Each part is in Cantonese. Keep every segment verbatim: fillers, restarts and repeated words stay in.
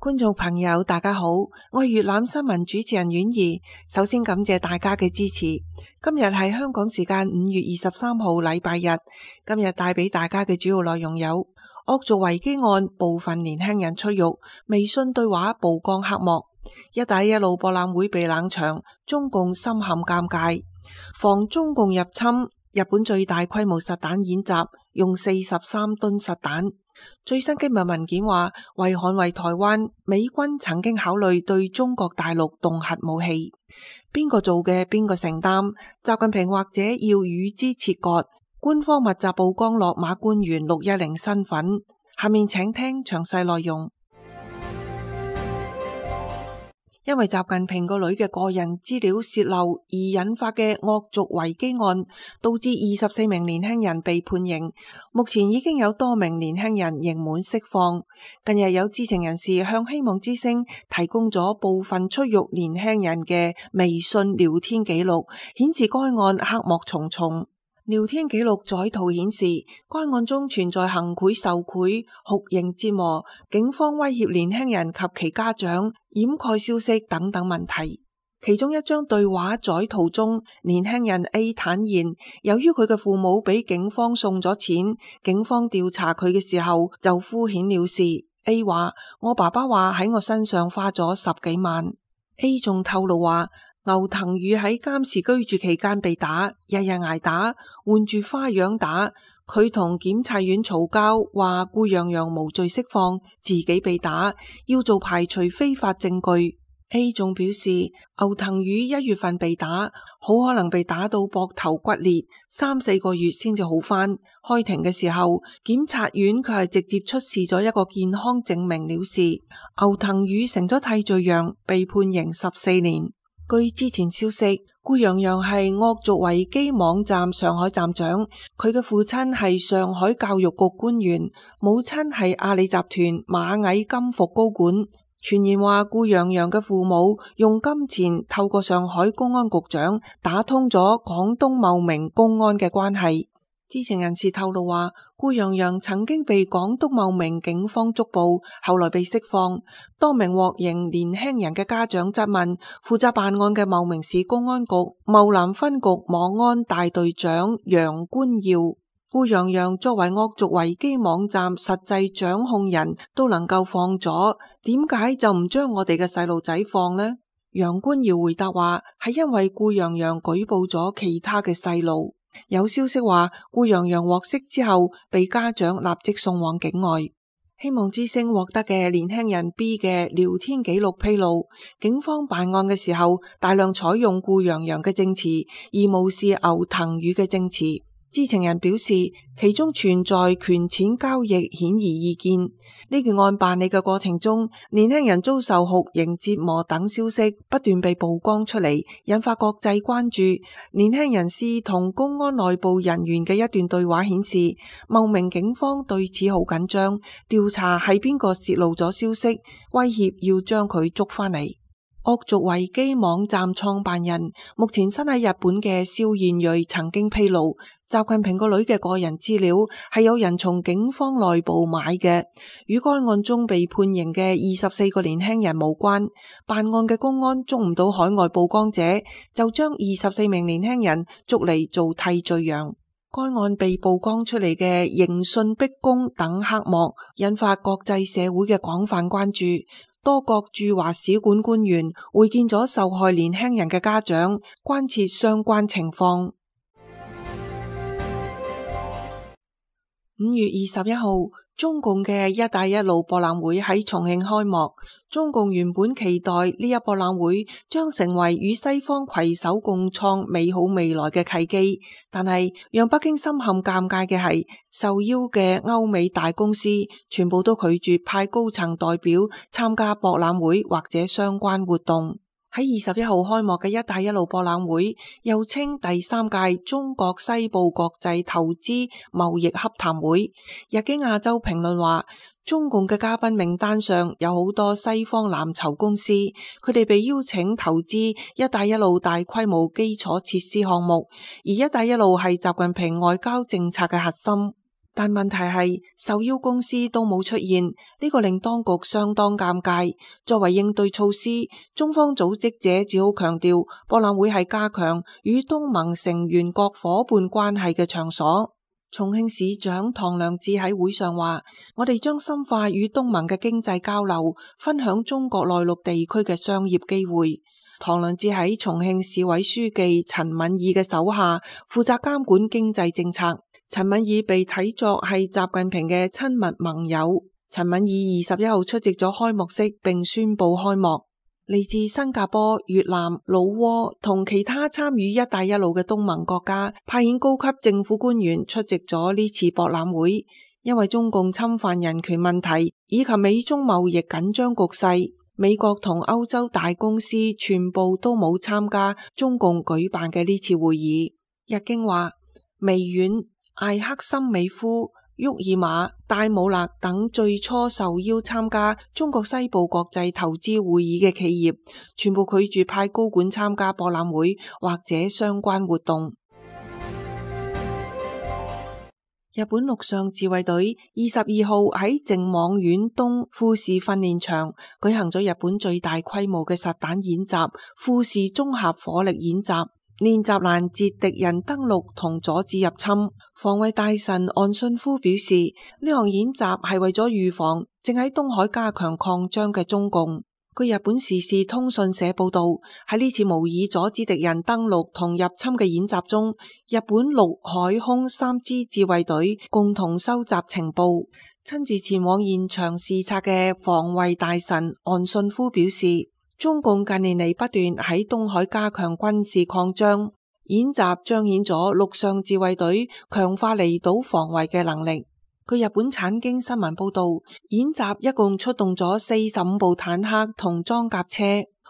觀眾朋友大家好，我係粵覽新聞主持人婉儀。首先感謝大家嘅支持。今日係香港時間五月二十三號禮拜日。今日帶俾大家嘅主要內容有：惡俗維基案部分年輕人出獄，微信對話曝光黑幕；一帶一路博覽會被冷場，中共深陷尷尬；防中共入侵，日本最大規模實彈演習用四十三噸實彈。最新機密文件話，為捍衛台灣，美軍曾經考慮對中國大陸動核武器。邊個做嘅，邊個承擔？習近平或者要與之切割。官方密集曝光落馬官員六一零身份。下面請聽詳細內容。因為習近平個女嘅個人資料洩漏而引發嘅惡俗維基案，導致二十四名年輕人被判刑。目前已經有多名年輕人刑滿釋放。近日有知情人士向希望之聲提供咗部分出獄年輕人嘅微信聊天記錄，顯示該案黑幕重重。聊天記錄載圖顯示，該案中存在行賄受賄、酷刑折磨、警方威脅年輕人及其家長、掩蓋消息等等問題。其中一張對話載圖中，年輕人 A 坦言，由於佢嘅父母俾警方送咗錢，警方調查佢嘅時候就敷衍了事。A 話：我爸爸話喺我身上花咗十幾萬。A 仲透露話，牛騰宇喺監視居住期間被打，日日挨打，換住花樣打。佢同檢察院嘈交，話顧洋洋無罪釋放，自己被打，要做排除非法證據。A 仲表示，牛騰宇一月份被打，好可能被打到膊頭骨裂，三四個月先至好返。開庭嘅時候，檢察院佢係直接出示咗一個健康證明了事。牛騰宇成咗替罪羊，被判刑十四年。據之前消息，顧洋洋係惡俗維基網站上海站長，佢嘅父親係上海教育局官員，母親係阿里集團螞蟻金服高管。傳言話顧洋洋嘅父母用金錢透過上海公安局長打通咗廣東茂名公安嘅關係。知情人士透露話，顧洋洋曾經被廣東茂名警方捉捕，後來被釋放。多名獲刑年輕人嘅家長質問負責辦案嘅茂名市公安局茂南分局網安大隊長楊官耀，顧洋洋作為惡俗維基網站實際掌控人都能夠放咗，點解就唔將我哋嘅細路仔放呢？楊官耀回答話，係因為顧洋洋舉報咗其他嘅細路。有消息話，顧洋洋獲釋之後，被家長立即送往境外。希望之聲獲得嘅年輕人 B 嘅聊天記錄披露，警方辦案嘅時候，大量採用顧洋洋嘅證詞，而無視牛騰宇嘅證詞。知情人表示，其中存在權錢交易，顯而易見。呢件案辦理嘅過程中，年輕人遭受酷刑折磨等消息不斷被曝光出嚟，引發國際關注。年輕人士同公安內部人員嘅一段對話顯示，茂名警方對此好緊張，調查係邊個泄露咗消息，威脅要將佢捉返嚟。惡俗維基網站創辦人目前身喺日本嘅蕭燕瑞曾經披露，習近平個女嘅個人資料係有人從警方內部買嘅，與該案中被判刑嘅二十四個年輕人無關。辦案嘅公安捉唔到海外曝光者，就將二十四名年輕人捉嚟做替罪羊。該案被曝光出嚟嘅刑訊逼供等黑幕，引發國際社會嘅廣泛關注。多國駐華使館官員會見咗受害年輕人嘅家長，關切相關情況。五月二十一號，中共嘅一帶一路博覽會喺重慶開幕。中共原本期待呢一博覽會將成為與西方攜手共創美好未來嘅契機，但係讓北京深陷尷尬嘅係，受邀嘅歐美大公司全部都拒絕派高層代表參加博覽會或者相關活動。喺二十一號開幕嘅一帶一路博覽會，又稱第三屆中國西部國際投資貿易洽談會。日經亞洲評論話，中共嘅嘉賓名單上有好多西方藍籌公司，佢哋被邀請投資一帶一路大規模基礎設施項目，而一帶一路係習近平外交政策嘅核心。但問題係受邀公司都冇出現，呢個令當局相當尷尬。作為應對措施，中方組織者只好強調博覽會係加強與東盟成員國夥伴關係嘅場所。重慶市長唐良智喺會上話：我哋將深化與東盟嘅經濟交流，分享中國內陸地區嘅商業機會。唐良智喺重慶市委書記陳敏爾嘅手下，負責監管經濟政策。陳敏爾被睇作係習近平嘅親密盟友。陳敏爾二十一號出席咗開幕式並宣布開幕。嚟自新加坡、越南、老撾同其他參與一帶一路嘅東盟國家派遣高級政府官員出席咗呢次博覽會。因為中共侵犯人權問題以及美中貿易緊張局勢，美國同歐洲大公司全部都冇參加中共舉辦嘅呢次會議。日經話，微軟、艾克森美孚、沃爾瑪、戴姆勒等最初受邀參加中國西部國際投資會議嘅企業，全部拒絕派高管參加博覽會或者相關活動。日本陸上自衛隊二十二號喺靖網縣東富士訓練場舉行咗日本最大規模嘅實彈演習——富士綜合火力演習。練習攔截敵人登陸同阻止入侵。防衛大臣岸信夫表示，呢項演習係為咗預防正喺東海加強擴張嘅中共。據日本時事通訊社報道，喺呢次模擬阻止敵人登陸同入侵嘅演習中，日本陸海空三支自衛隊共同收集情報。親自前往現場視察嘅防衛大臣岸信夫表示，中共近年嚟不斷喺東海加強軍事擴張，演習彰顯咗陸上自衛隊強化離島防衛嘅能力。據日本產經新聞報道，演習一共出動咗四十五部坦克同裝甲車、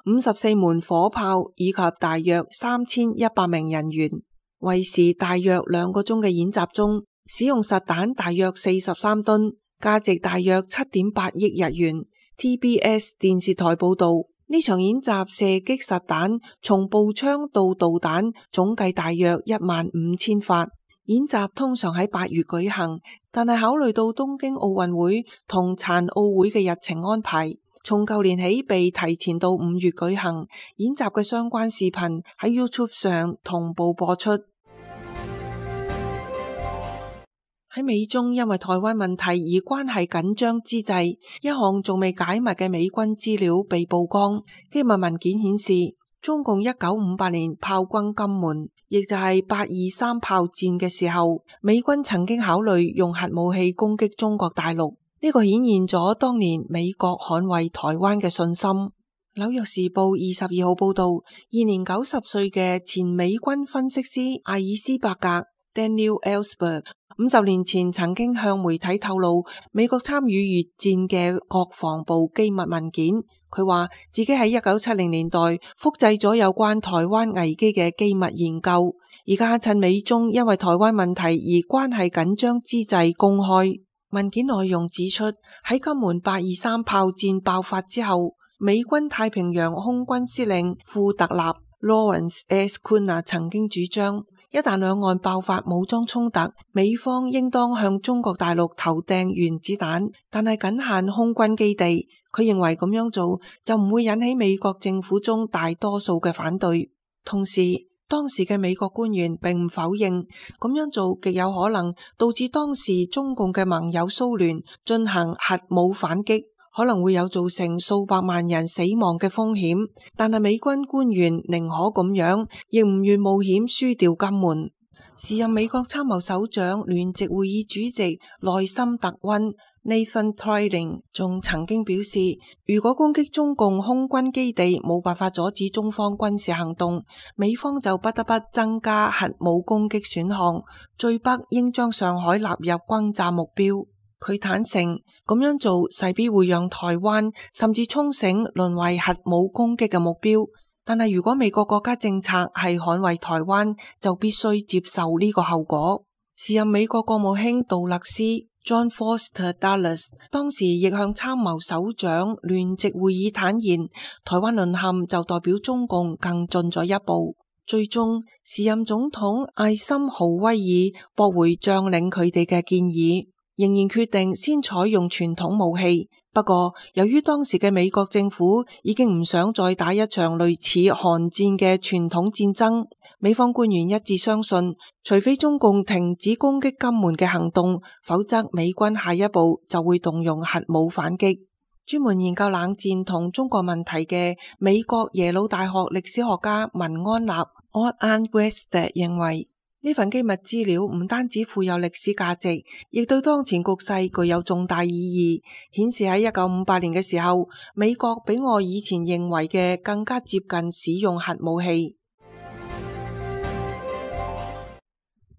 五十四門火炮以及大約三千一百名人員。為時大約兩個鐘嘅演習中，使用實彈大約四十三噸，價值大約七點八億日元。T B S 電視台報道，呢場演習射擊實彈從步槍到導彈總計大約一萬五千發。演習通常喺八月舉行，但係考慮到東京奧運會同殘奧會嘅日程安排，從舊年起被提前到五月舉行。演習嘅相關視頻喺 YouTube 上同步播出。喺美中因為台灣問題而關係緊張之際，一項仲未解密嘅美軍資料被曝光。機密文件顯示，中共一九五八年炮轟金門，亦就係八二三炮戰嘅時候，美軍曾經考慮用核武器攻擊中國大陸。呢個顯現咗當年美國捍衛台灣嘅信心。紐約時報二十二號報道，現年九十歲嘅前美軍分析師艾爾斯伯格 Daniel Ellsberg 五十年前曾經向媒體透露美國參與越戰嘅國防部機密文件。佢話自己喺一九七零年代複製咗有關台灣危機嘅機密研究，而家趁美中因為台灣問題而關係緊張之際公開。文件內容指出，喺金門八二三炮戰爆發之後，美軍太平洋空軍司令庫特納 Lawrence S. Kuna 曾經主張，一旦兩岸爆發武裝衝突，美方應當向中國大陸投掟原子彈，但係僅限空軍基地。佢認為咁樣做就唔會引起美國政府中大多數嘅反對。同時，當時嘅美國官員並唔否認咁樣做極有可能導致當時中共嘅盟友蘇聯進行核武反擊，可能會有造成數百萬人死亡嘅風險。但係美軍官員寧可咁樣，亦唔願冒險輸掉金門。時任美國參謀首長聯席會議主席內森特溫 Nathan Triding 仲曾經表示，如果攻擊中共空軍基地冇辦法阻止中方軍事行動，美方就不得不增加核武攻擊選項，最北應將上海納入轟炸目標。佢坦承咁樣做勢必會讓台灣甚至沖繩淪為核武攻擊嘅目標。但係如果美國國家政策係捍衛台灣，就必須接受呢個後果。時任美國國務卿杜勒斯 John Foster Dulles 當時亦向參謀首長聯席會議坦言，台灣淪陷就代表中共更進咗一步。最終時任總統艾森豪威爾駁回將領佢哋嘅建議，仍然決定先採用傳統武器。不過由於當時嘅美國政府已經唔想再打一場類似韓戰嘅傳統戰爭，美方官員一致相信，除非中共停止攻擊金門嘅行動，否則美軍下一步就會動用核武反擊。專門研究冷戰同中國問題嘅美國耶魯大學歷史學家文安納 Odd West 認為，呢份機密資料唔單止富有歷史價值，亦對當前局勢具有重大意義，顯示喺一九五八年嘅時候，美國比我以前認為嘅更加接近使用核武器。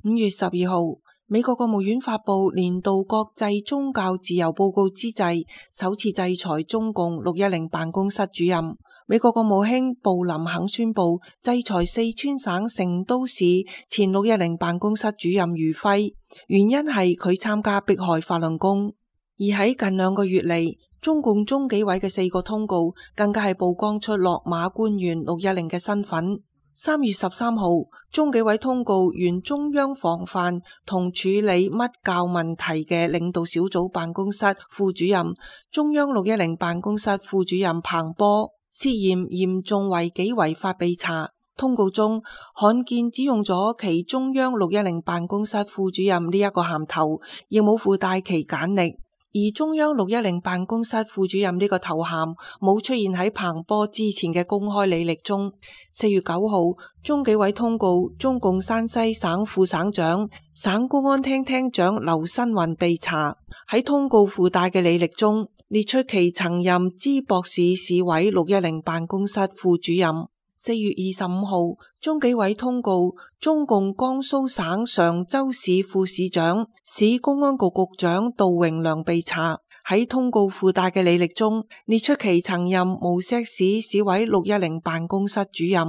五月十二號，美國國務院發佈年度國際宗教自由報告之際，首次制裁中共六一零辦公室主任。美國國務卿布林肯宣布制裁四川省成都市前六一零辦公室主任余輝，原因係佢參加迫害法輪功。而喺近兩個月嚟，中共中紀委嘅四個通告更加係曝光出落馬官員六一零嘅身份。三月十三號，中紀委通告原中央防範同處理乜教問題嘅領導小組辦公室副主任、中央六一零辦公室副主任彭波涉嫌嚴重違紀違法被查。通告中罕見只用咗其中央六一零辦公室副主任呢一個銜頭，亦冇附帶其簡歷。而中央六一零辦公室副主任呢個頭銜冇出現喺彭波之前嘅公開履歷中。四月九號，中紀委通告中共山西省副省長、省公安廳廳長劉新雲被查，喺通告附帶嘅履歷中列出其曾任淄博市市委六一零辦公室副主任。四月二十五號，中紀委通告中共江蘇省常州市副市長、市公安局局長杜榮良被查，喺通告附帶嘅履歷中列出其曾任無錫市市委六一零辦公室主任。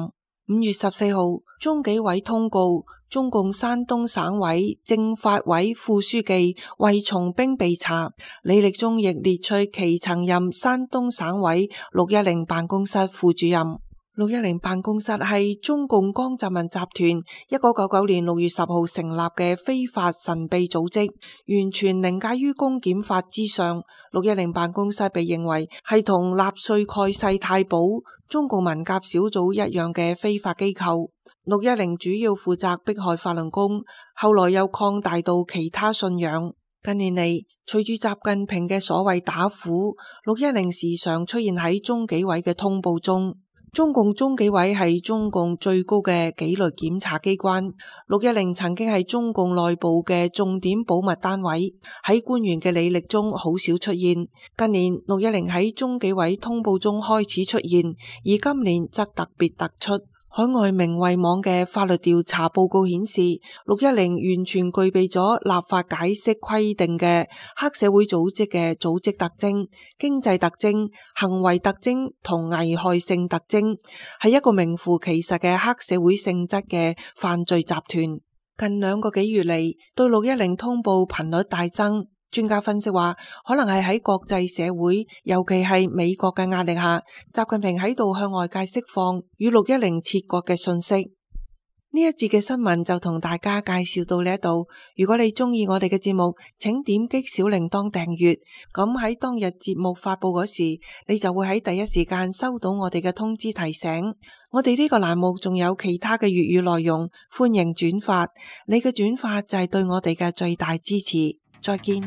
五月十四號，中紀委通告中共山東省委政法委副書記衛松兵被查，履歷中亦列出其曾任山東省委六一零辦公室副主任。六一零辦公室係中共江澤民集團一九九九年六月十號成立嘅非法神秘組織，完全凌駕於公檢法之上。六一零辦公室被認為係同納粹蓋世太保、中共文革小組一樣嘅非法機構。六一零主要負責迫害法輪功，後來又擴大到其他信仰。近年嚟，隨住習近平嘅所謂打虎，六一零時常出現喺中紀委嘅通報中。中共中紀委係中共最高嘅紀律檢查機關，六一零曾經係中共內部嘅重點保密單位，喺官員嘅履歷中好少出現。近年六一零喺中紀委通報中開始出現，而今年則特別突出。海外明慧網嘅法律調查報告顯示，六一零完全具備咗立法解釋規定嘅黑社會組織嘅組織特徵、經濟特徵、行為特徵同危害性特徵，係一個名副其實嘅黑社會性質嘅犯罪集團。近兩個幾月嚟，對六一零通報頻率大增。專家分析話，可能係喺國際社會，尤其係美國嘅壓力下，習近平喺度向外界釋放與六一零切割嘅訊息。呢一節嘅新聞就同大家介紹到呢一度。如果你中意我哋嘅節目，請點擊小鈴鐺訂閱，咁喺當日節目發佈嗰時，你就會喺第一時間收到我哋嘅通知提醒。我哋呢個欄目仲有其他嘅粵語內容，歡迎轉發。你嘅轉發就係對我哋嘅最大支持。再見。